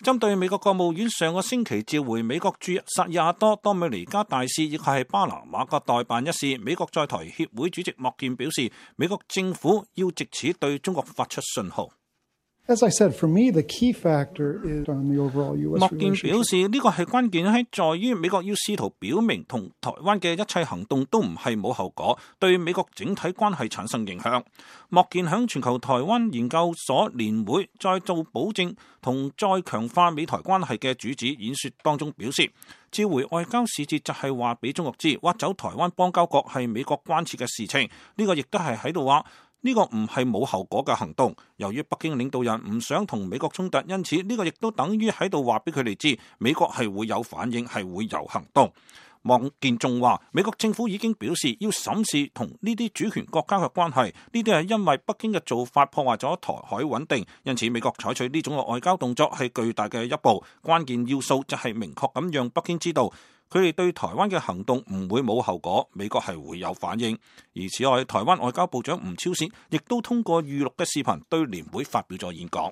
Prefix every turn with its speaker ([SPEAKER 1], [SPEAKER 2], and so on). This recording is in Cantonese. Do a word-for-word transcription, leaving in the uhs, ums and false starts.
[SPEAKER 1] 針對美國國務院上個星期召回美國駐薩爾瓦多多米尼加大使以及係巴拿馬嘅代辦一事，美國在台協會主席莫健表示，美國政府要藉此對中國發出信號。
[SPEAKER 2] As I said, for me, the key factor is on the overall U S relationship.
[SPEAKER 1] 莫健表示，呢個係關鍵喺在於美國要試圖表明同台灣嘅一切行動都唔係冇後果，對美國整體關係產生影響。莫健響全球台灣研究所年會再做保證同再強化美台關係嘅主旨演說當中表示，召回外交使節就係話俾中國知，挖走台灣邦交國係美國關切嘅事情。呢個亦都係喺度話。呢個唔係冇後果嘅行動，由於北京領導人唔想同美國衝突，因此呢個亦都等於喺度話俾佢哋知，美國係會有反應，係會有行動。莫健仲話，美國政府已經表示要審視同呢啲主權國家嘅關係，呢啲係因為北京嘅做法破壞咗台海穩定，因此美國採取呢種嘅外交動作係巨大嘅一步。關鍵要素就係明確咁讓北京知道，佢哋對台灣嘅行動唔會冇後果，美國係會有反應。而此外，台灣外交部長吳釗燮亦都通過預錄嘅視頻對年會發表咗演講。